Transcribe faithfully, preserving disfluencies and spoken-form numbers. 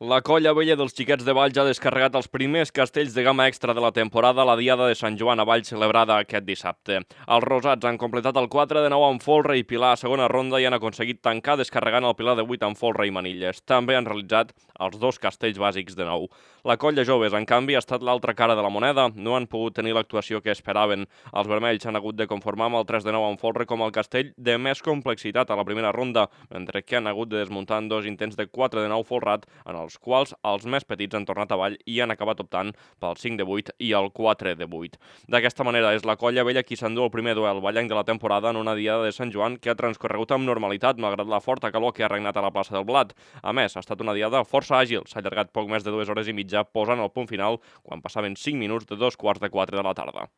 La colla vella dels Xiquets de Valls ha descarregat els primers castells de gamma extra de la temporada a la Diada de Sant Joan a Valls celebrada aquest dissabte. Els rosats han completat el quatre de nou amb folre i pilar a segona ronda i han aconseguit tancar descarregant el pilar de vuit amb folre i manilles. També han realitzat els dos castells bàsics de nou. La colla joves, en canvi, ha estat l'altra cara de la moneda. No han pogut tenir l'actuació que esperaven. Els vermells han hagut de conformar amb el tres de nou amb folre com el castell de més complexitat a la primera ronda, mentre que han hagut de desmuntar en dos intents de quatre de nou folrat, en els quals els més petits han tornat avall i han acabat optant pel cinc de vuit i el quatre de vuit. D'aquesta manera és la colla vella qui s'endú el primer duel ballenc de la temporada en una diada de Sant Joan que ha transcorregut amb normalitat malgrat la forta calor que ha regnat a la plaça del Blat. A més, ha estat una diada força àgil, s'ha allargat poc més de dues hores i mitja posant el punt final quan passaven cinc minuts de dos quarts de quatre de la tarda.